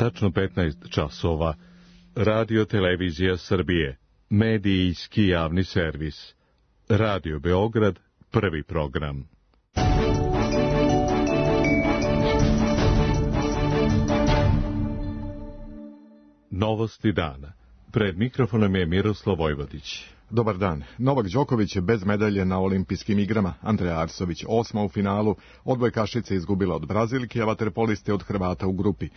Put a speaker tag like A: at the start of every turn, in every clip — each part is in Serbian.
A: Tačno 15 časova. Radio Televizija Srbije. Medijski javni servis. Radio Beograd, prvi program. Novosti dana. Pred mikrofonom je Miroslav Vojvodić.
B: Dobar dan. Novak Đoković je bez medalje na olimpijskim igrama. Andreja Arsović 8. u finalu. Odbojkašica izgubila od Brazilke, a vaterpoliste od Hrvata u grupi.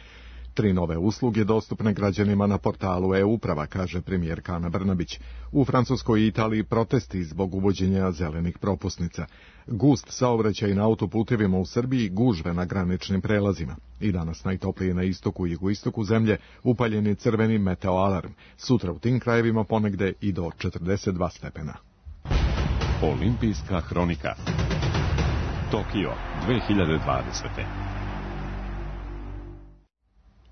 B: 3 nove usluge dostupne građanima na portalu e-uprava, kaže premijerka Ana Brnabić. U Francuskoj i Italiji protesti zbog uvođenja zelenih propusnica. Gust saobraćaj na autoputevima u Srbiji, gužve na graničnim prelazima. I danas najtoplije na istoku i jugoistoku zemlje, upaljen je crveni meteoalarm. Sutra u tim krajevima ponegde i do 42 stepena.
C: Olimpijska hronika. Tokio 2020.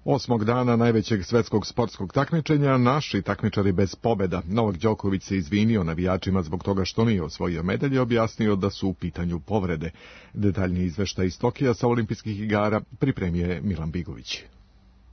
B: 8. dana najvećeg svetskog sportskog takmičenja, naši takmičari bez pobeda. Novak Đoković se izvinio navijačima zbog toga što nije osvojio medalje, objasnio da su u pitanju povrede. Detaljni izveštaj iz Tokija sa olimpijskih igara pripremio je Milan Bigović.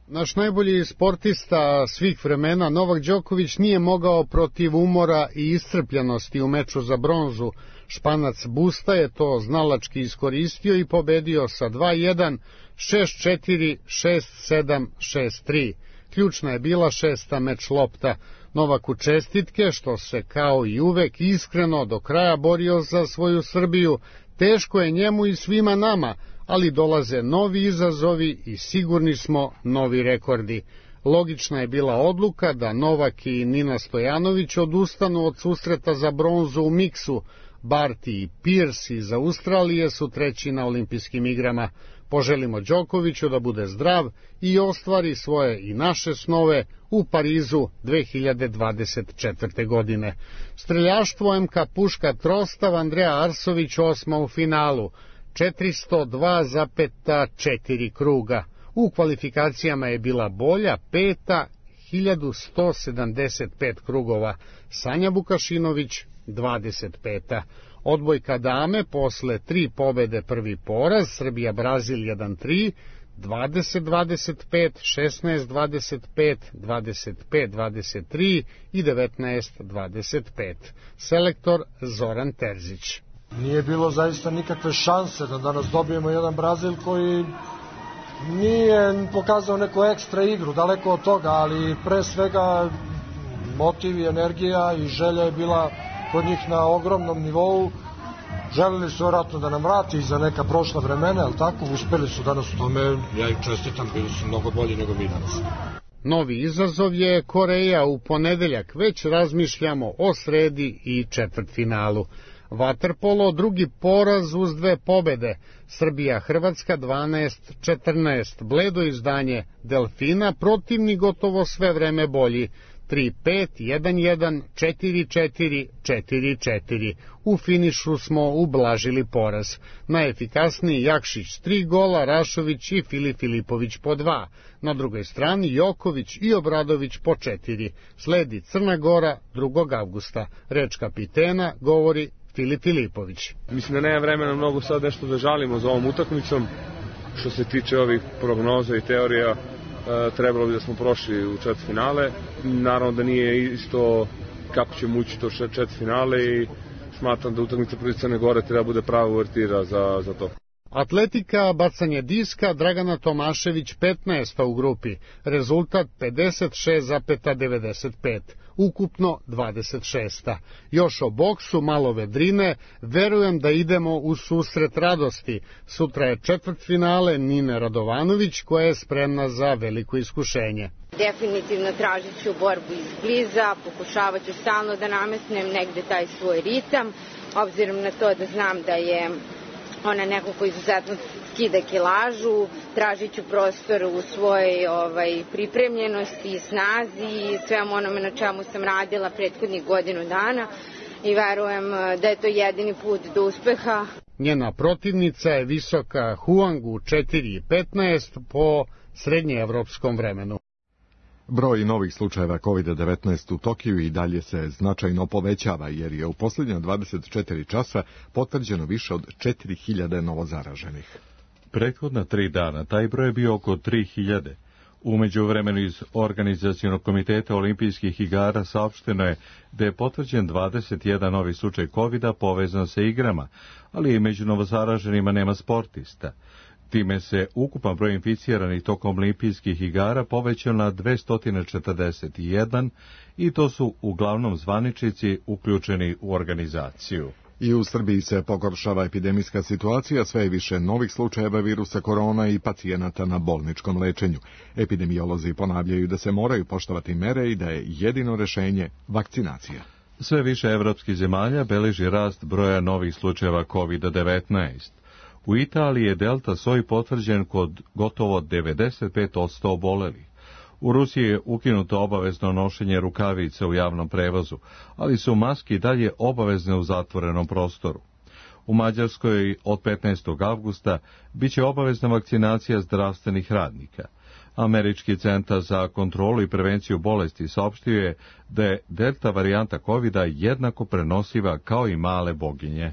D: Naš najbolji sportista svih vremena, Novak Đoković, nije mogao protiv umora i iscrpljenosti u meču za bronzu. Španac Busta je to znalački iskoristio i pobedio sa 2-1, 6-4, 6-7, 6-3. Ključna je bila 6. meč lopta. Novaku čestitke što se kao i uvek iskreno do kraja borio za svoju Srbiju. Teško je njemu i svima nama, ali dolaze novi izazovi i sigurni smo novi rekordi. Logična je bila odluka da Novak i Nina Stojanović odustanu od susreta za bronzu u miksu. Barty i Pierce iz Australije su treći na olimpijskim igrama. Poželimo Đokoviću da bude zdrav i ostvari svoje i naše snove u Parizu 2024. godine. Streljaštvo MK Puška Trostav, Andreja Arsović 8. u finalu, 402,4 kruga. U kvalifikacijama je bila bolja 5. 1175 krugova. Sanja Vukašinović 25. Odbojka dame posle 3 pobede prvi poraz, Srbija Brazil 1-3, 20-25, 16-25, 25-23 i 19-25. Selektor Zoran Terzić.
E: Nije bilo zaista nikakve šanse da danas dobijemo jedan Brazil koji nije pokazao neku ekstra igru, daleko od toga, ali pre svega motiv i energija i želja je bila kod njih na ogromnom nivou. Želeli su vjerojatno da nam vrati za neka prošla vremena, ali tako, uspeli su danas u tome, ja im čestitam, bili su mnogo bolji nego mi danas.
D: Novi izazov je Koreja u ponedeljak, već razmišljamo o sredi i četvrtfinalu. Vaterpolo, drugi poraz uz 2 pobede, Srbija-Hrvatska 12-14, bledo izdanje Delfina, protivni gotovo sve vreme bolji, 3-5, 1-1, 4-4, 4-4. U finišu smo ublažili poraz. Najefikasniji Jakšić 3 gola, Rašović i Filipović po 2. Na drugoj strani Joković i Obradović po 4. Sledi Crna Gora 2. avgusta. Reč kapitena govori Filipović.
F: Mislim da nema vremena mnogo sad nešto da žalimo za ovom utakmicom. Što se tiče ovih prognoza i teorija, trebalo bi da smo prošli u četvrtfinale. Naravno da nije isto kako ćemo ući to četvrtfinale i smatram da utakmica protiv Crne Gore treba bude prava uvertira za to.
D: Atletika, bacanje diska, Dragana Tomašević 15. u grupi, rezultat 56,95, ukupno 26. Još o boksu, malo vedrine, verujem da idemo u susret radosti. Sutra je četvrtfinale Nine Radovanović koja je spremna za veliko iskušenje.
G: Definitivno tražit ću borbu izbliza, pokušavat ću stalno da namestnem negde taj svoj ritam, obzirom na to da znam da je ona neko ko izuzetno skida kilažu, tražit ću prostor u svojoj pripremljenosti i snazi i svemu onome na čemu sam radila prethodnih godinu dana i verujem da je to jedini put do uspeha.
D: Njena protivnica je visoka Huang u 4,15 po srednjeevropskom vremenu.
B: Broj novih slučajeva COVID-19 u Tokiju i dalje se značajno povećava, jer je u posljednja 24 časa potvrđeno više od 4000 novozaraženih.
A: Prethodna 3 dana taj broj je bio oko 3000. U međuvremenu iz Organizacionog komiteta olimpijskih igara saopšteno je da je potvrđen 21 novi slučaj COVID-a povezan sa igrama, ali i među novozaraženima nema sportista. Time se ukupan broj inficiranih tokom olimpijskih igara povećao na 241 i to su uglavnom zvaničnici uključeni u organizaciju.
B: I u Srbiji se pogoršava epidemijska situacija, sve je više novih slučajeva virusa korona i pacijenata na bolničkom lečenju. Epidemiolozi ponavljaju da se moraju poštovati mere i da je jedino rešenje vakcinacija.
A: Sve više evropskih zemalja beleži rast broja novih slučajeva COVID-19. U Italiji je delta soj potvrđen kod gotovo 95% obolelih. U Rusiji je ukinuto obavezno nošenje rukavica u javnom prevozu, ali su maske i dalje obavezne u zatvorenom prostoru. U Mađarskoj od 15. avgusta biće obavezna vakcinacija zdravstvenih radnika. Američki centar za kontrolu i prevenciju bolesti saopštio je da je delta varijanta COVID-a jednako prenosiva kao i male boginje.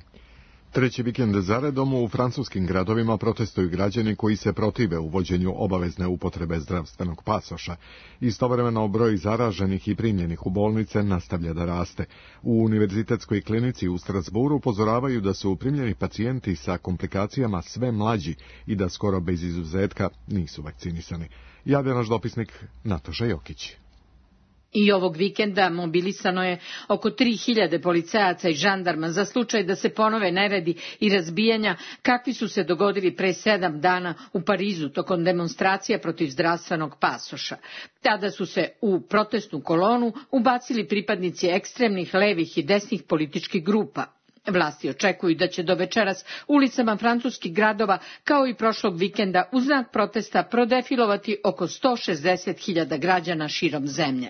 B: Treći vikend zaredom u francuskim gradovima protestuju građani koji se protive uvođenju obavezne upotrebe zdravstvenog pasoša. Istovremeno broj zaraženih i primljenih u bolnice nastavlja da raste. U univerzitetskoj klinici u Strasburu upozoravaju da su primljeni pacijenti sa komplikacijama sve mlađi i da skoro bez izuzetka nisu vakcinisani. Javlja naš dopisnik Nataša Jokić.
H: I ovog vikenda mobilisano je oko 3000 policajaca i žandarma za slučaj da se ponove neredi i razbijanja kakvi su se dogodili pre 7 dana u Parizu tokom demonstracija protiv zdravstvenog pasoša. Tada su se u protestnu kolonu ubacili pripadnici ekstremnih levih i desnih političkih grupa. Vlasti očekuju da će do večeras ulicama francuskih gradova, kao i prošlog vikenda, u znak protesta prodefilovati oko 160.000 građana širom zemlje.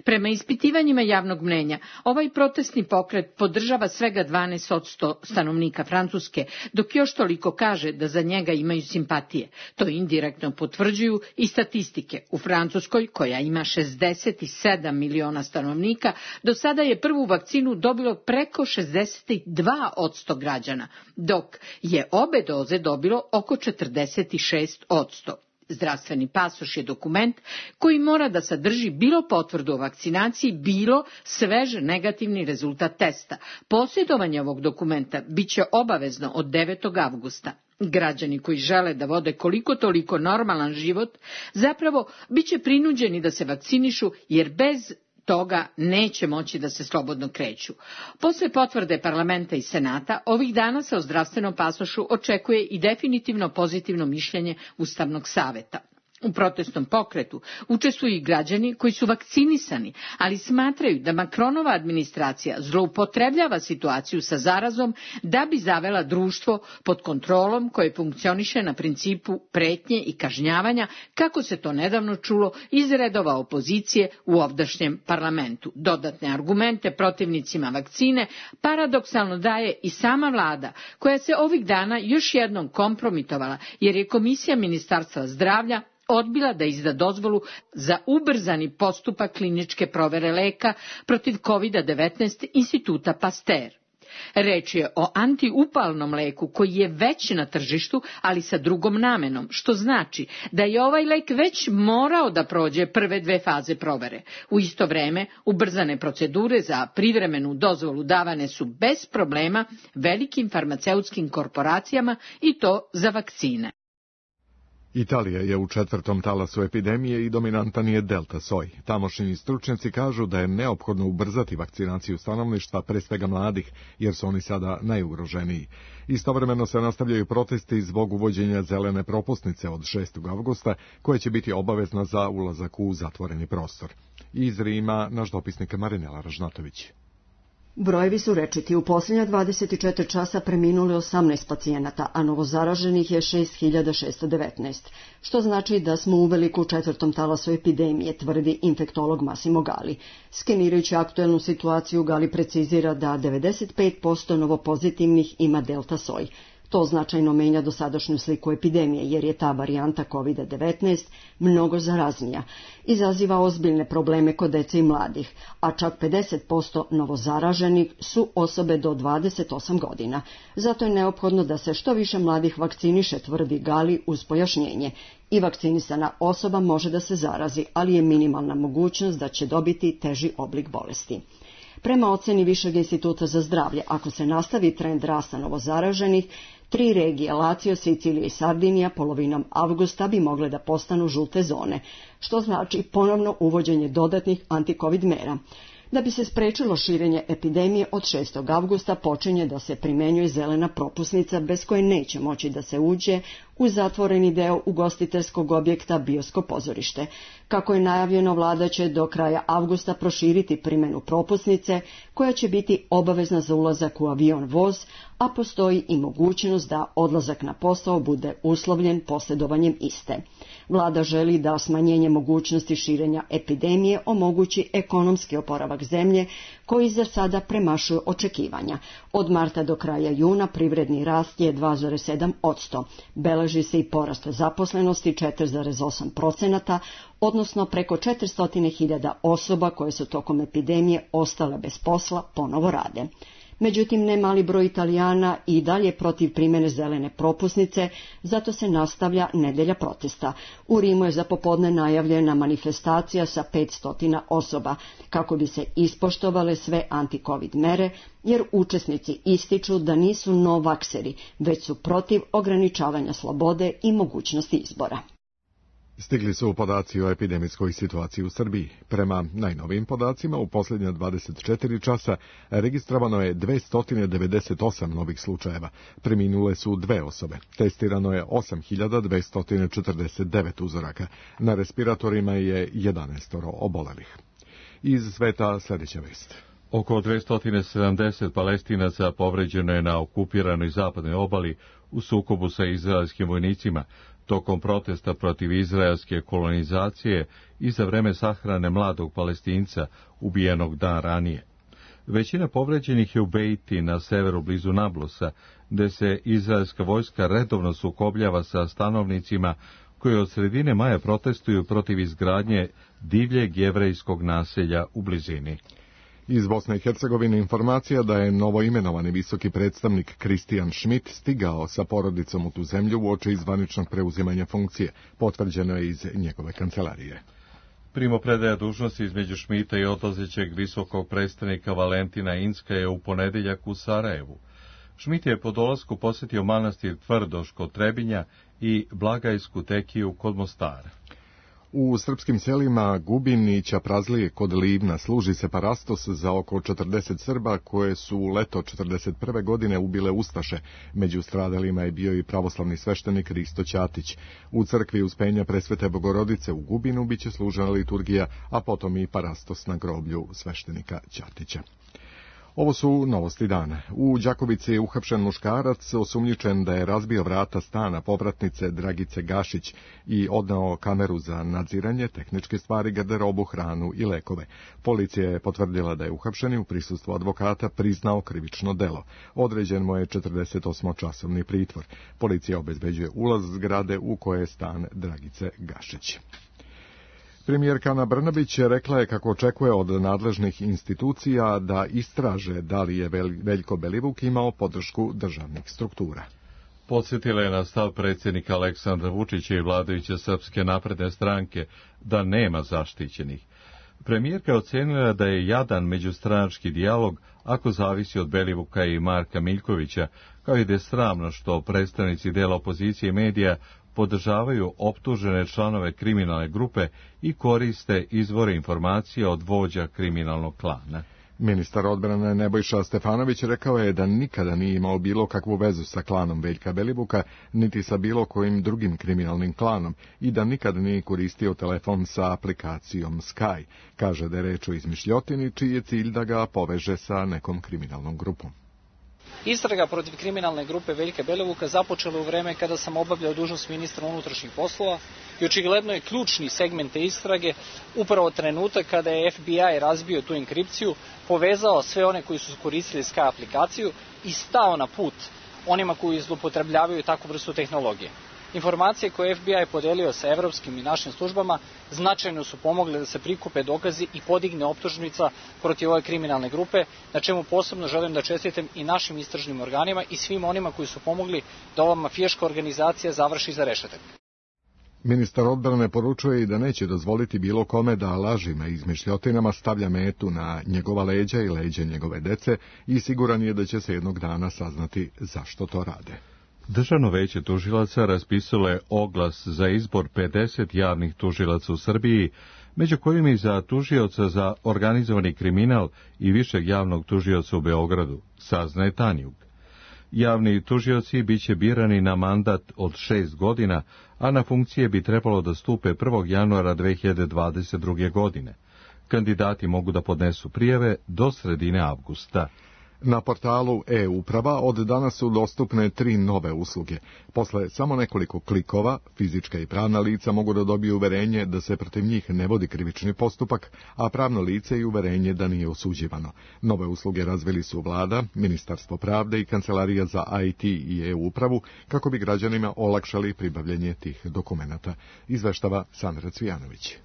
H: Prema ispitivanjima javnog mnenja, ovaj protestni pokret podržava svega 12% stanovnika Francuske, dok još toliko kaže da za njega imaju simpatije. To indirektno potvrđuju i statistike. U Francuskoj, koja ima 67 miliona stanovnika, do sada je prvu vakcinu dobilo preko 62% građana, dok je obe doze dobilo oko 46%. Zdravstveni pasoš je dokument koji mora da sadrži bilo potvrdu o vakcinaciji, bilo svež negativni rezultat testa. Posjedovanje ovog dokumenta biće obavezno od 9. avgusta. Građani koji žele da vode koliko toliko normalan život, zapravo biće prinuđeni da se vakcinišu, jer bez toga neće moći da se slobodno kreću. Posle potvrde parlamenta i senata, ovih dana se o zdravstvenom pasošu očekuje i definitivno pozitivno mišljenje Ustavnog saveta. U protestnom pokretu učestvuju i građani koji su vakcinisani, ali smatraju da Macronova administracija zloupotrebljava situaciju sa zarazom da bi zavela društvo pod kontrolom koje funkcioniše na principu pretnje i kažnjavanja, kako se to nedavno čulo iz redova opozicije u ovdašnjem parlamentu. Dodatne argumente protivnicima vakcine paradoksalno daje i sama vlada, koja se ovih dana još jednom kompromitovala, jer je Komisija Ministarstva zdravlja odbila da izda dozvolu za ubrzani postupak kliničke provere leka protiv COVID-19 instituta Pasteur. Reč je o antiupalnom leku koji je već na tržištu, ali sa drugom namenom, što znači da je ovaj lek već morao da prođe prve 2 faze provere. U isto vreme, ubrzane procedure za privremenu dozvolu davane su bez problema velikim farmaceutskim korporacijama i to za vakcine.
B: Italija je u 4. talasu epidemije i dominantan je delta soj. Tamošnji stručnjaci kažu da je neophodno ubrzati vakcinaciju stanovništva, pre svega mladih, jer su oni sada najugroženiji. Istovremeno se nastavljaju protesti zbog uvođenja zelene propusnice od 6. avgusta, koja će biti obavezna za ulazak u zatvoreni prostor. Iz Rima naš dopisnik Marinela Ražnatović.
I: Brojevi su rečiti. U posljednja 24 časa preminuli 18 pacijenata, a novozaraženih je 6619, što znači da smo u veliku 4. talasu epidemije, tvrdi infektolog Massimo Gali. Skenirajući aktuelnu situaciju, Gali precizira da 95% novopozitivnih ima delta soj. To značajno menja dosadašnju sliku epidemije, jer je ta varijanta COVID-19 mnogo zaraznija. Izaziva ozbiljne probleme kod dece i mladih, a čak 50% novozaraženih su osobe do 28 godina. Zato je neophodno da se što više mladih vakciniše, tvrdi Gali uz pojašnjenje. I vakcinisana osoba može da se zarazi, ali je minimalna mogućnost da će dobiti teži oblik bolesti. Prema oceni Višeg instituta za zdravlje, ako se nastavi trend rasta novozaraženih, 3 regije, Lazio, Sicilija i Sardinija, polovinom avgusta bi mogle da postanu žute zone, što znači ponovno uvođenje dodatnih anti-covid mera. Da bi se sprečilo širenje epidemije, od 6. avgusta počinje da se primenjuje zelena propusnica bez koje neće moći da se uđe u zatvoreni deo ugostiteljskog objekta bioskop pozorište. Kako je najavljeno, vlada će do kraja avgusta proširiti primjenu propusnice koja će biti obavezna za ulazak u avion voz, a postoji i mogućnost da odlazak na posao bude uslovljen posjedovanjem iste. Vlada želi da smanjenje mogućnosti širenja epidemije omogući ekonomski oporavak zemlje koji za sada premašuje očekivanja. Od marta do kraja juna privredni rast je 2,7%. Beleži se i porast zaposlenosti 4,8%, odnosno preko 400.000 osoba koje su tokom epidemije ostale bez posla ponovo rade. Međutim, ne mali broj Italijana i dalje protiv primjene zelene propusnice, zato se nastavlja nedelja protesta. U Rimu je za popodne najavljena manifestacija sa 500 osoba, kako bi se ispoštovale sve anti-covid mere, jer učesnici ističu da nisu novakseri, već su protiv ograničavanja slobode i mogućnosti izbora.
B: Stigli su podaci o epidemijskoj situaciji u Srbiji. Prema najnovijim podacima, u posljednja 24 časa registrovano je 298 novih slučajeva. Preminule su 2 osobe. Testirano je 8.249 uzoraka. Na respiratorima je 11 obolelih. Iz sveta sljedeća vest.
A: Oko 270 Palestinaca povređeno je na okupiranoj zapadnoj obali u sukobu sa izraelskim vojnicima tokom protesta protiv izraelske kolonizacije i za vreme sahrane mladog Palestinca ubijenog dan ranije. Većina povređenih je u Beiti na severu blizu Nablusa, gde se izraelska vojska redovno sukobljava sa stanovnicima koji od sredine maja protestuju protiv izgradnje divljeg jevrejskog naselja u blizini.
B: Iz Bosne i Hercegovine informacija da je novoimenovani visoki predstavnik Kristijan Schmidt stigao sa porodicom u tu zemlju uoči zvaničnog preuzimanja funkcije, potvrđeno je iz njegove kancelarije.
A: Primopredaja dužnosti između Schmidta i odlazećeg visokog predstavnika Valentina Inska je u ponedjeljak u Sarajevu. Schmidt je po dolasku posjetio manastir Tvrdoš kod Trebinja i Blagajsku tekiju kod Mostara.
B: U srpskim selima Gubin i Ćaprazlije kod Livna služi se parastos za oko 40 Srba koje su u leto 1941. godine ubile ustaše. Među stradalima je bio i pravoslavni sveštenik Risto Ćatić. U crkvi Uspenja Presvete Bogorodice u Gubinu biće služena liturgija, a potom i parastos na groblju sveštenika Ćatića. Ovo su novosti dana. U Đakovici je uhapšen muškarac osumnjičen da je razbio vrata stana povratnice Dragice Gašić i odneo kameru za nadziranje, tehničke stvari, garderobu, hranu i lekove. Policija je potvrdila da je uhapšen i u prisustvu advokata priznao krivično delo. Određen mu je 48-časovni pritvor. Policija obezbeđuje ulaz zgrade u koje je stan Dragice Gašić. Premijerka Ana Brnabić rekla je kako očekuje od nadležnih institucija da istraže da li je Veljko Belivuk imao podršku državnih struktura.
A: Podsjetila je na stav predsjednika Aleksandra Vučića i vladajuće Srpske napredne stranke da nema zaštićenih. Premijerka je ocenila da je jadan međustranački dijalog ako zavisi od Belivuka i Marka Miljkovića, kao i da je sramno što predstavnici dela opozicije i medija podržavaju optužene članove kriminalne grupe i koriste izvore informacija od vođa kriminalnog klana.
B: Ministar odbrane Nebojša Stefanović rekao je da nikada nije imao bilo kakvu vezu sa klanom Veljka Belivuka, niti sa bilo kojim drugim kriminalnim klanom i da nikada nije koristio telefon sa aplikacijom Sky. Kaže da je reč o izmišljotini čiji je cilj da ga poveže sa nekom kriminalnom grupom.
J: Istraga protiv kriminalne grupe Veljka Belivuka započela u vreme kada sam obavljao dužnost ministra unutrašnjih poslova i očigledno je ključni segment te istrage upravo trenutak kada je FBI razbio tu enkripciju, povezao sve one koji su koristili Sky aplikaciju i stao na put onima koji zloupotrebljavaju takvu vrstu tehnologije. Informacije koje je FBI podelio sa evropskim i našim službama značajno su pomogle da se prikupe dokazi i podigne optužnica protiv ove kriminalne grupe, na čemu posebno želim da čestitam i našim istražnim organima i svim onima koji su pomogli da ova mafijaška organizacija završi iza rešetak.
B: Ministar odbrane poručuje i da neće dozvoliti bilo kome da lažima i izmišljotinama stavlja metu na njegova leđa i leđa njegove dece i siguran je da će se jednog dana saznati zašto to rade.
A: Državno veće tužilaca raspisalo je oglas za izbor 50 javnih tužilaca u Srbiji, među kojima i za tužioca za organizovani kriminal i višeg javnog tužioca u Beogradu, saznaje Tanjug. Javni tužioci biće birani na mandat od 6 godina, a na funkcije bi trebalo da stupe 1. januara 2022. godine. Kandidati mogu da podnesu prijave do sredine avgusta.
B: Na portalu e-uprava od danas su dostupne 3 nove usluge. Posle samo nekoliko klikova, fizička i pravna lica mogu da dobiju uverenje da se protiv njih ne vodi krivični postupak, a pravno lice i uverenje da nije osuđivano. Nove usluge razvili su Vlada, Ministarstvo pravde i Kancelarija za IT i e-upravu kako bi građanima olakšali pribavljanje tih dokumenata. Izveštava Sandra Cvijanović.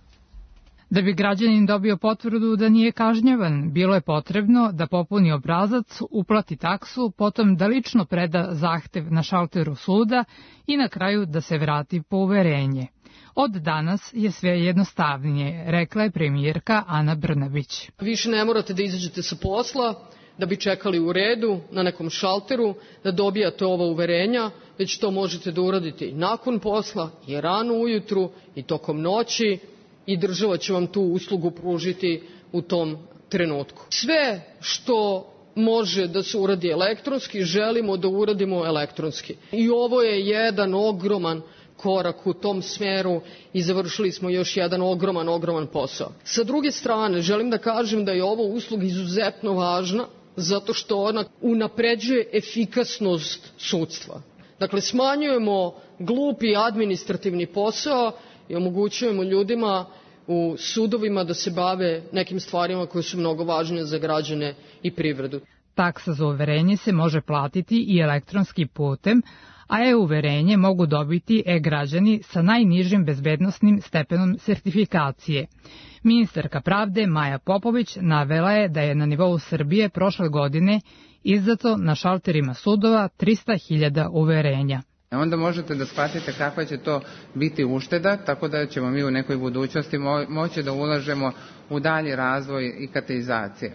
K: Da bi građanin dobio potvrdu da nije kažnjavan, bilo je potrebno da popuni obrazac, uplati taksu, potom da lično preda zahtev na šalteru suda i na kraju da se vrati po uverenje. Od danas je sve jednostavnije, rekla je premijerka Ana Brnabić.
L: Više ne morate da izađete sa posla, da bi čekali u redu na nekom šalteru, da dobijate ova uverenja, već to možete da uradite i nakon posla, i rano ujutru, i tokom noći, i država će vam tu uslugu pružiti u tom trenutku. Sve što može da se uradi elektronski, želimo da uradimo elektronski. I ovo je jedan ogroman korak u tom smeru i završili smo još jedan ogroman posao. Sa druge strane, želim da kažem da je ovo usluga izuzetno važna, zato što ona unapređuje efikasnost sudstva. Dakle, smanjujemo glupi administrativni posao i omogućujemo ljudima u sudovima da se bave nekim stvarima koje su mnogo važnije za građane i privredu.
K: Taksa za uverenje se može platiti i elektronskim putem, a e-uverenje mogu dobiti e-građani sa najnižim bezbednosnim stepenom sertifikacije. Ministarka pravde Maja Popović navela je da je na nivou Srbije prošle godine izdato na šalterima sudova 300.000 uverenja.
M: Onda možete da shvatite kakva će to biti ušteda, tako da ćemo mi u nekoj budućnosti moći da ulažemo u dalji razvoj ikatizacije.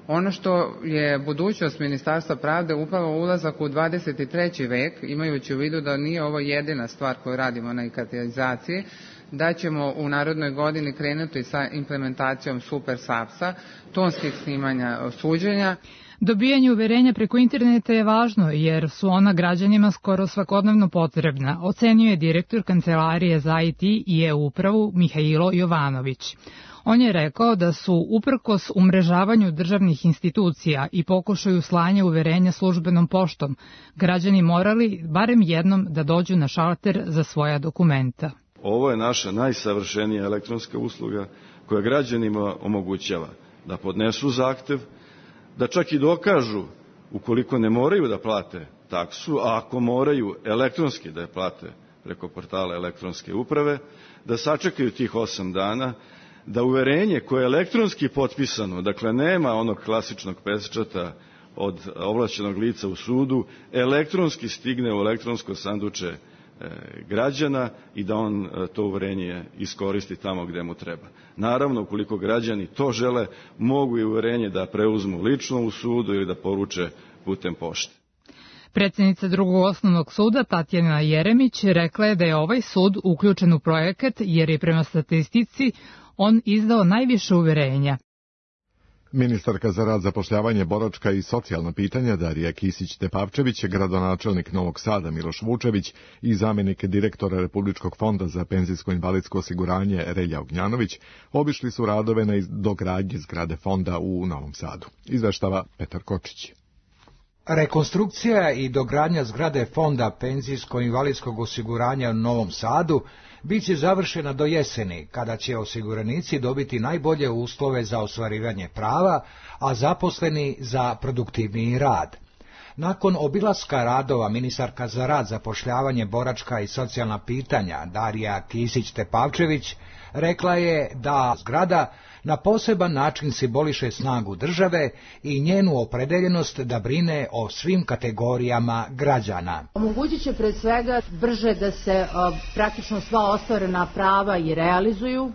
M: Ono što je budućnost Ministarstva pravde upravo ulazak u 23. vek, imajući u vidu da nije ovo jedina stvar koju radimo na ikatizaciji, da ćemo u narednoj godini krenuti sa implementacijom Super SAPS-a, tonskih snimanja suđenja.
K: Dobijanje uverenja preko interneta je važno jer su ona građanima skoro svakodnevno potrebna, ocenjuje direktor Kancelarije za IT i e-upravu Mihailo Jovanović. On je rekao da su uprkos umrežavanju državnih institucija i pokušaju slanja uverenja službenom poštom, građani morali barem jednom da dođu na šalter za svoja dokumenta.
N: Ovo je naša najsavršenija elektronska usluga koja građanima omogućava da podnesu zahtev, da čak i dokažu ukoliko ne moraju da plate taksu, a ako moraju elektronski da je plate preko portala elektronske uprave, da sačekaju tih 8 dana, da uverenje koje je elektronski potpisano, dakle nema onog klasičnog pečata od ovlašćenog lica u sudu, elektronski stigne u elektronsko sanduče građana i da on to uverenje iskoristi tamo gde mu treba. Naravno, ukoliko građani to žele, mogu i uverenje da preuzmu lično u sudu ili da poruče putem pošte.
K: Predsjednica Drugog osnovnog suda Tatjana Jeremić rekla je da je ovaj sud uključen u projekat jer je prema statistici on izdao najviše uverenja.
B: Ministarka za rad, zapošljavanje, boračka i socijalna pitanja Darija Kisić-Tepavčević, gradonačelnik Novog Sada Miloš Vučević i zamjenik direktora Republičkog fonda za penzijsko-invalidsko osiguranje Relja Ognjanović obišli su radove na dogradnji zgrade fonda u Novom Sadu. Izveštava Petar Kočić.
O: Rekonstrukcija i dogradnja zgrade fonda penzijsko-invalidskog osiguranja u Novom Sadu biće završena do jeseni, kada će osiguranici dobiti najbolje uslove za ostvarivanje prava, a zaposleni za produktivniji rad. Nakon obilaska radova ministarka za rad, zapošljavanje, boračka i socijalna pitanja Darija Kisić-Tepavčević rekla je da zgrada na poseban način simboliše snagu države i njenu opredeljenost da brine o svim kategorijama građana.
P: Omogućit će pred svega brže da se praktično sva ostvarena prava i realizuju.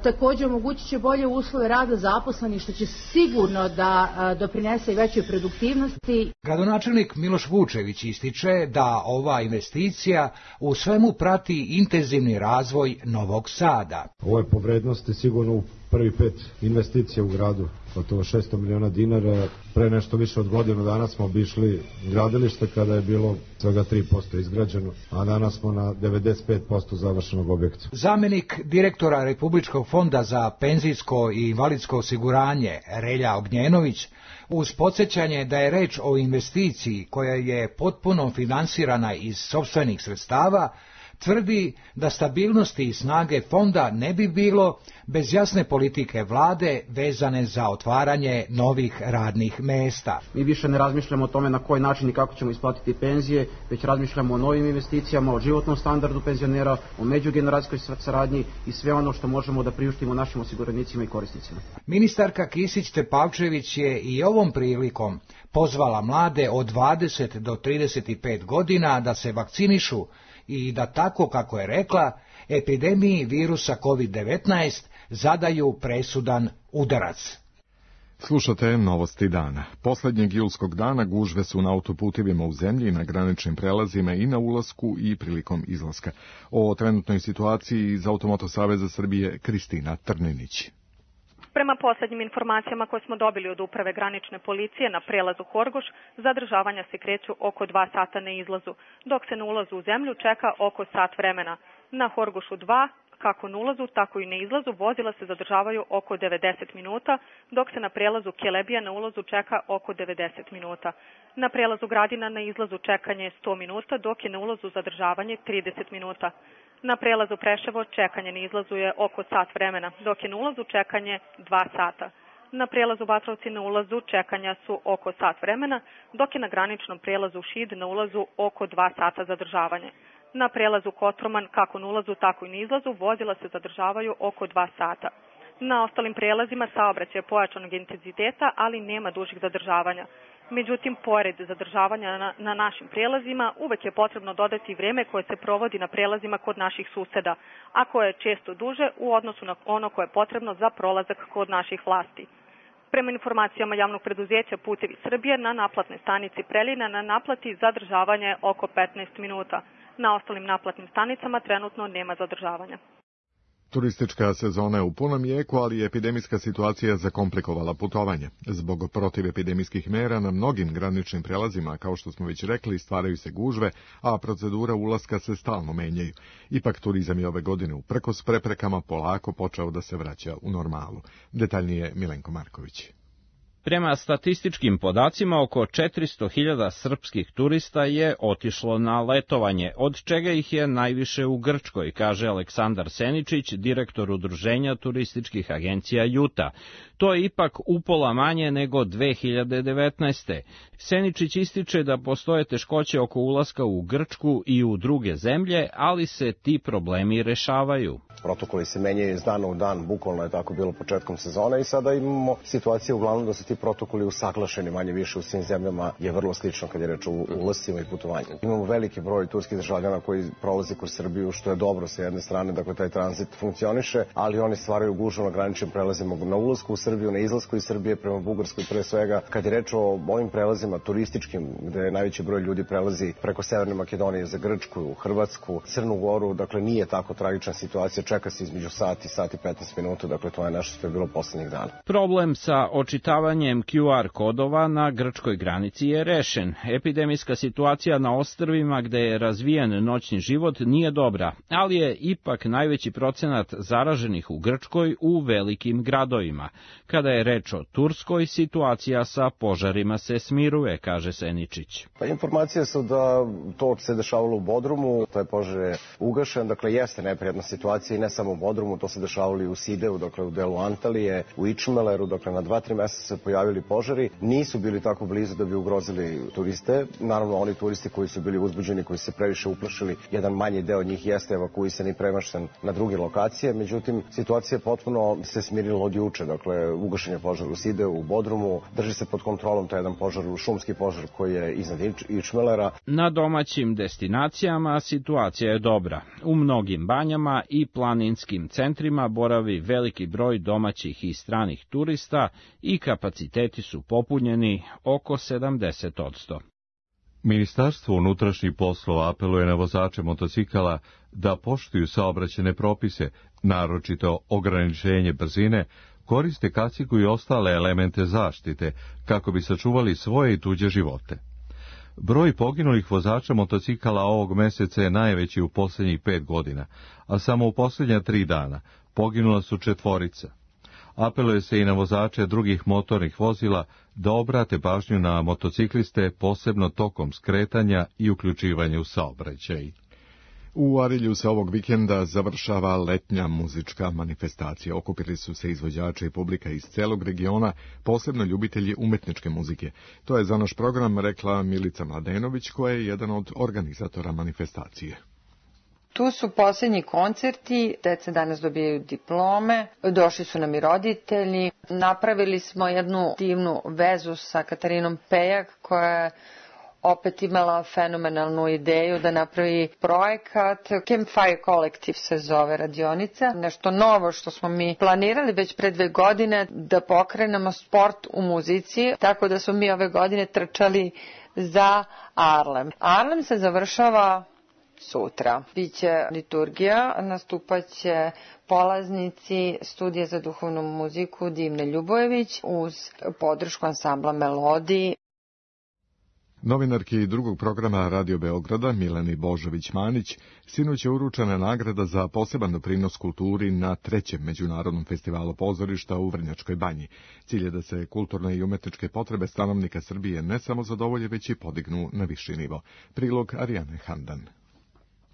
P: Također omogućit će bolje uslove rada zaposlenih, što će sigurno da doprinese i većoj produktivnosti.
O: Gradonačelnik Miloš Vučević ističe da ova investicija u svemu prati intenzivni razvoj Novog Sada.
Q: Ovo je po vrednosti sigurno u prvi 5 investicija u gradu, gotovo 600 miliona dinara. Pre nešto više od godinu dana smo obišli gradilište kada je bilo svega 3% izgrađeno, a danas smo na 95% završenog objekta.
O: Zamenik direktora Republičkog fonda za penzijsko i invalidsko osiguranje Relja Ognjenović, uz podsjećanje da je reč o investiciji koja je potpuno finansirana iz sopstvenih sredstava, tvrdi da stabilnosti i snage fonda ne bi bilo bez jasne politike vlade vezane za otvaranje novih radnih mesta.
R: Mi više ne razmišljamo o tome na koji način i kako ćemo isplatiti penzije, već razmišljamo o novim investicijama, o životnom standardu penzionera, o međugeneracijskoj saradnji i sve ono što možemo da priuštimo našim osiguranicima i korisnicima.
O: Ministarka Kisić-Tepavčević je i ovom prilikom pozvala mlade od 20 do 35 godina da se vakcinišu i da tako, kako je rekla, epidemiji virusa COVID-19 zadaju presudan udarac.
B: Slušate novosti dana. Poslednjeg julskog dana gužve su na autoputevima u zemlji, na graničnim prelazima i na ulasku i prilikom izlaska. O trenutnoj situaciji iz Automoto Saveza Srbije Kristina Trninić.
S: Prema poslednjim informacijama koje smo dobili od uprave granične policije na prelazu Horgoš, zadržavanja se kreću oko 2 sata na izlazu, dok se na ulazu u zemlju čeka oko sat vremena. Na Horgošu 2, kako na ulazu, tako i na izlazu, vozila se zadržavaju oko 90 minuta, dok se na prelazu Kelebija na ulazu čeka oko 90 minuta. Na prelazu Gradina na izlazu čekanje 100 minuta, dok je na ulazu zadržavanje 30 minuta. Na prelazu Preševo čekanje na izlazu je oko sat vremena, dok je na ulazu čekanje 2 sata. Na prelazu Batrovci na ulazu čekanja su oko sat vremena, dok je na graničnom prelazu Šid na ulazu oko 2 sata zadržavanje. Na prelazu Kotroman, kako na ulazu, tako i na izlazu, vozila se zadržavaju oko 2 sata. Na ostalim prelazima saobraćaj je pojačanog intenziteta, ali nema dužih zadržavanja. Međutim, pored zadržavanja na našim prelazima, uvek je potrebno dodati vreme koje se provodi na prelazima kod naših suseda, a koje je često duže u odnosu na ono koje je potrebno za prolazak kod naših vlasti. Prema informacijama javnog preduzeća Putevi Srbije, na naplatnoj stanici Preljina na naplati zadržavanje je oko 15 minuta. Na ostalim naplatnim stanicama trenutno nema zadržavanja.
B: Turistička sezona je u punom jeku, ali je epidemijska situacija zakomplikovala putovanje. Zbog protivepidemijskih mera na mnogim graničnim prelazima, kao što smo već rekli, stvaraju se gužve, a procedura ulaska se stalno menjaju. Ipak turizam je ove godine uprkos preprekama polako počeo da se vraća u normalu. Detaljnije Milenko Marković.
T: Prema statističkim podacima, oko 400.000 srpskih turista je otišlo na letovanje, od čega ih je najviše u Grčkoj, kaže Aleksandar Seničić, direktor Udruženja turističkih agencija Juta. To je ipak upola manje nego 2019. Seničić ističe da postoje teškoće oko ulaska u Grčku i u druge zemlje, ali se ti problemi rešavaju.
U: Protokoli se menjaju iz dana u dan, bukvalno je tako bilo početkom sezone i sada imamo situaciju uglavnom da su ti protokoli usaglašeni manje više u svim zemljama, je vrlo slično kad je reč o ulascima i putovanju. Imamo veliki broj turskih državljana koji prolaze kroz Srbiju, što je dobro sa jedne strane, dakle taj tranzit funkcioniše, ali oni stvaraju gužvu na graničnim prelazima na ulasku u Srbiju, na izlasku iz Srbije prema Bugarskoj pre svega. Kad je reč o ovim prelazima turističkim, gde najveći broj ljudi prelazi preko Severne Makedonije za Grčku, Hrvatsku, Crnu Goru, dakle nije tako tragična situacija, čeka se između sat i 15 minuta, dakle to je nešto što je bilo poslednjih dana.
T: Problem sa očitavanjem QR kodova na grčkoj granici je rešen. Epidemijska situacija na ostrvima gde je razvijen noćni život nije dobra, ali je ipak najveći procenat zaraženih u Grčkoj u velikim gradovima. Kada je reč o Turskoj, situacija sa požarima se smiruje, kaže Seničić.
U: Pa informacije su da to se dešavalo u Bodrumu, taj požar je ugašen, dakle jeste neprijatna situacija i ne samo u Bodrumu, to se dešavalo i u Sideu, dakle u delu Antalije, u Ičmeleru, dakle na 2-3 mesta se pojavilo pojavili požari, nisu bili tako blizu da bi ugrozili turiste. Naravno, oni turisti koji su bili uzbuđeni, koji se previše uplašili, jedan manji deo njih jeste evakuisan i premešten na druge lokacije. Međutim, situacija potpuno se smirila od juče. Dakle, ugašen je požar u Sideu, u Bodrumu, drži se pod kontrolom taj jedan požar, šumski požar koji je iznad Ičmelera.
T: Na domaćim destinacijama situacija je dobra. U mnogim banjama i planinskim centrima boravi veliki broj domaćih i stranih turista i kapaciteti su popunjeni oko 70%.
A: Ministarstvo unutrašnjih poslova apeluje na vozače motocikala da poštuju saobraćajne propise, naročito ograničenje brzine, koriste kacigu i ostale elemente zaštite kako bi sačuvali svoje i tuđe živote. Broj poginulih vozača motocikala ovog meseca je najveći u posljednjih 5 godina, a samo u posljednja 3 dana poginula su 4. Apeluje se i na vozače drugih motornih vozila da obrate pažnju na motocikliste, posebno tokom skretanja i uključivanja u saobraćaj.
B: U Arilju se ovog vikenda završava letnja muzička manifestacija. Okupili su se izvođači i publika iz celog regiona, posebno ljubitelji umetničke muzike. To je za naš program rekla Milica Mladenović, koja je jedan od organizatora manifestacije.
C: Tu su posljednji koncerti, deca danas dobijaju diplome, došli su nam i roditelji. Napravili smo jednu divnu vezu sa Katarinom Pejak, koja je opet imala fenomenalnu ideju da napravi projekat. Campfire Collective se zove radionica. Nešto novo što smo mi planirali već pre 2 godine, da pokrenemo sport u muzici, tako da smo mi ove godine trčali za Arlem. Arlem se završava sutra. Biće liturgija, nastupaće polaznici Studija za duhovnu muziku Divne Ljubojević uz podršku ansambla Melodiji.
B: Novinarki drugog programa Radio Beograda Mileni Božović-Manić sinoć je uručena nagrada za poseban doprinos kulturi na 3. međunarodnom festivalu pozorišta u Vrnjačkoj Banji. Cilj je da se kulturne i umetničke potrebe stanovnika Srbije ne samo zadovolje, već i podignu na viši nivo. Prilog Arijane Handan.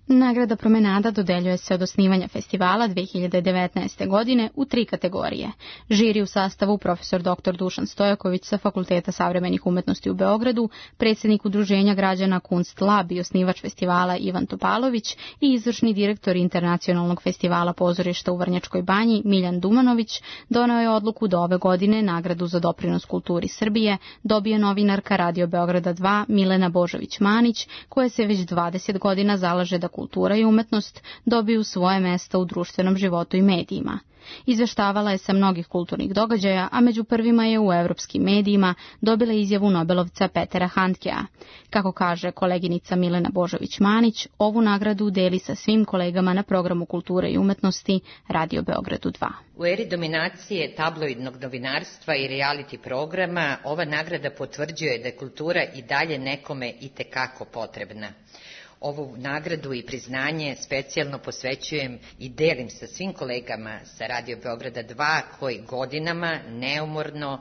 V: Nagrada Promenada dodeljuje se od osnivanja festivala 2019. godine u 3 kategorije. Žiri u sastavu profesor dr. Dušan Stojaković sa Fakulteta savremenih umetnosti u Beogradu, predsjednik Udruženja građana Kunst Lab i osnivač festivala Ivan Topalović i izvršni direktor Internacionalnog festivala pozorišta u Vrnjačkoj Banji Miljan Dumanović doneo je odluku da ove godine nagradu za doprinos kulturi Srbije dobije novinarka Radio Beograda 2 Milena Božović-Manić, koja se već 20 godina zalaže da kultura i umetnost dobiju svoje mesta u društvenom životu i medijima. Izveštavala je sa mnogih kulturnih događaja, a među prvima je u evropskim medijima dobila izjavu Nobelovca Petera Handkea. Kako kaže koleginica Milena Božović-Manić, ovu nagradu deli sa svim kolegama na programu kulture i umetnosti Radio Beogradu 2.
W: U eri dominacije tabloidnog novinarstva i reality programa ova nagrada potvrđuje da je kultura i dalje nekome itekako potrebna. Ovu nagradu i priznanje specijalno posvećujem i delim sa svim kolegama sa Radio Beograda 2 koji godinama neumorno,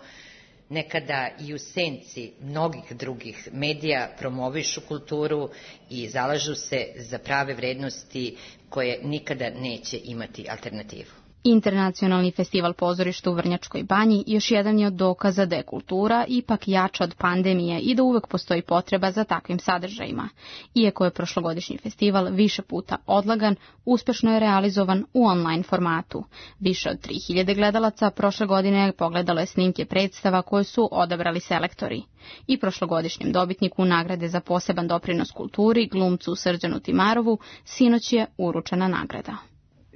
W: nekada i u senci mnogih drugih medija promovišu kulturu i zalažu se za prave vrednosti koje nikada neće imati alternativu.
V: Internacionalni festival pozorišta u Vrnjačkoj Banji još jedan je od dokaza da je kultura ipak jača od pandemije i da uvek postoji potreba za takvim sadržajima. Iako je prošlogodišnji festival više puta odlagan, uspešno je realizovan u online formatu. Više od 3000 gledalaca prošle godine pogledalo je snimke predstava koje su odabrali selektori. I prošlogodišnjem dobitniku nagrade za poseban doprinos kulturi, glumcu Srđanu Timarovu, sinoć je uručena nagrada.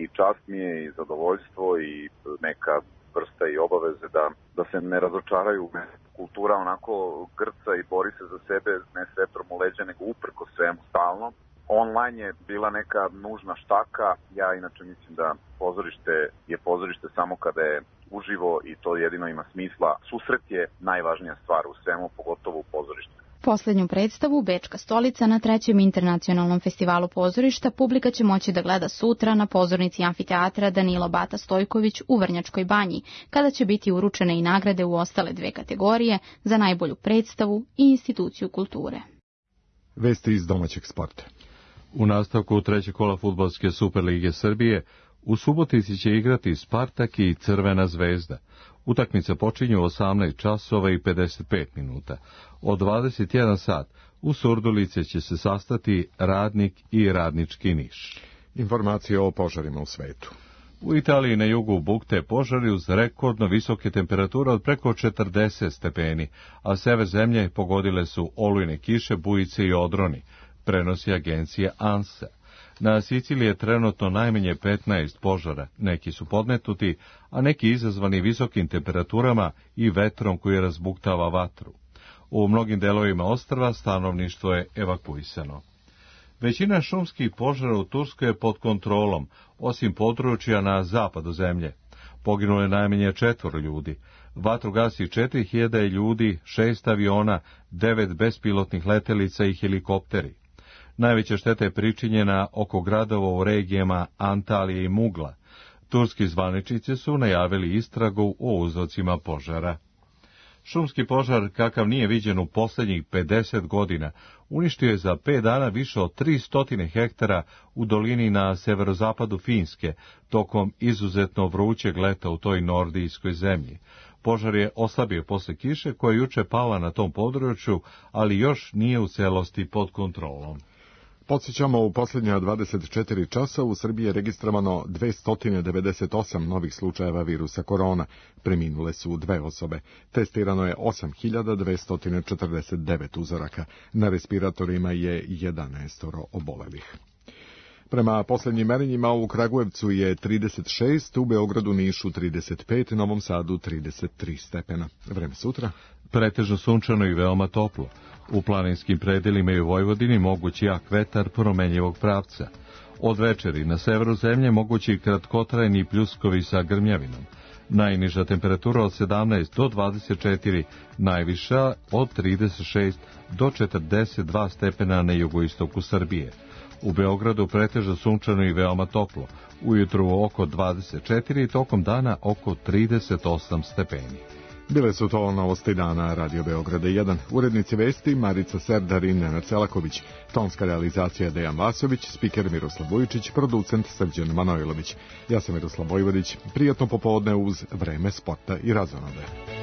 X: I čast mi je i zadovoljstvo i neka vrsta i obaveze da se ne razočaraju. Kultura onako grca i bori se za sebe, ne s vetrom u leđa, nego uprko svemu stalno. Online je bila neka nužna štaka. Ja inače mislim da pozorište je pozorište samo kada je uživo i to jedino ima smisla. Susret je najvažnija stvar u svemu, pogotovo u pozorištu.
V: Poslednju predstavu, Bečka stolica, na 3. internacionalnom festivalu pozorišta publika će moći da gleda sutra na pozornici amfiteatra Danilo Bata Stojković u Vrnjačkoj Banji, kada će biti uručene i nagrade u ostale 2 kategorije za najbolju predstavu i instituciju kulture.
B: Vesti iz domaćeg sporta.
A: U nastavku 3. kola fudbalske Superlige Srbije U Subotici će igrati Spartak i Crvena zvezda. Utakmica počinje u 18 časova i 55 minuta. Od 21 sat u Surdulice će se sastati Radnik i Radnički Niš.
B: Informacije o požarima u svetu.
A: U Italiji na jugu bukte požari uz rekordno visoke temperature od preko 40 stepeni, a sever zemlje pogodile su olujne kiše, bujice i odroni, prenosi agencija ANSA. Na Siciliji je trenutno najmanje 15 požara, neki su podmetnuti, a neki izazvani visokim temperaturama i vetrom koji razbuktava vatru. U mnogim delovima ostrva stanovništvo je evakuisano. Većina šumskih požara u Turskoj je pod kontrolom, osim područja na zapadu zemlje. Poginulo je najmanje 4 ljudi. Vatru gasi 4000 ljudi, 6 aviona, 9 bespilotnih letelica i helikopteri. Najveća šteta je pričinjena oko gradova u regijama Antalije i Mugla. Turski zvaničnici su najavili istragu o uzrocima požara. Šumski požar, kakav nije viđen u posljednjih 50 godina, uništio je za 5 dana više od 300 hektara u dolini na severozapadu Finske, tokom izuzetno vrućeg leta u toj nordijskoj zemlji. Požar je oslabio posle kiše koja je juče pala na tom području, ali još nije u celosti pod kontrolom.
B: Podsjećamo, u posljednja 24 časa u Srbiji je registrovano 298 novih slučajeva virusa korona. Preminule su 2 osobe. Testirano je 8249 uzoraka. Na respiratorima je 11 obolelih. Prema posljednjim merenjima u Kragujevcu je 36, u Beogradu, Nišu 35, Novom Sadu 33 stepena. Vreme sutra?
A: Pretežno sunčano i veoma toplo. U planinskim predelima i u Vojvodini mogući jak vetar promenjivog pravca. Od večeri na severu zemlje mogući kratkotrajni pljuskovi sa grmljavinom. Najniža temperatura od 17 do 24, najviša od 36 do 42 stepena na jugoistoku Srbije. U Beogradu pretežno sunčano i veoma toplo. Ujutru oko 24 i tokom dana oko 38 stepeni.
B: Bile su to novosti dana Radio Beograda 1. Urednici vesti Marica Serdar i Nenad Selaković. Tonska realizacija Dejan Vasović, spiker Miroslav Vujičić, producent Srđan Manojlović. Ja sam Miroslav Vojvodić. Prijatno popodne uz Vreme sporta i razonode.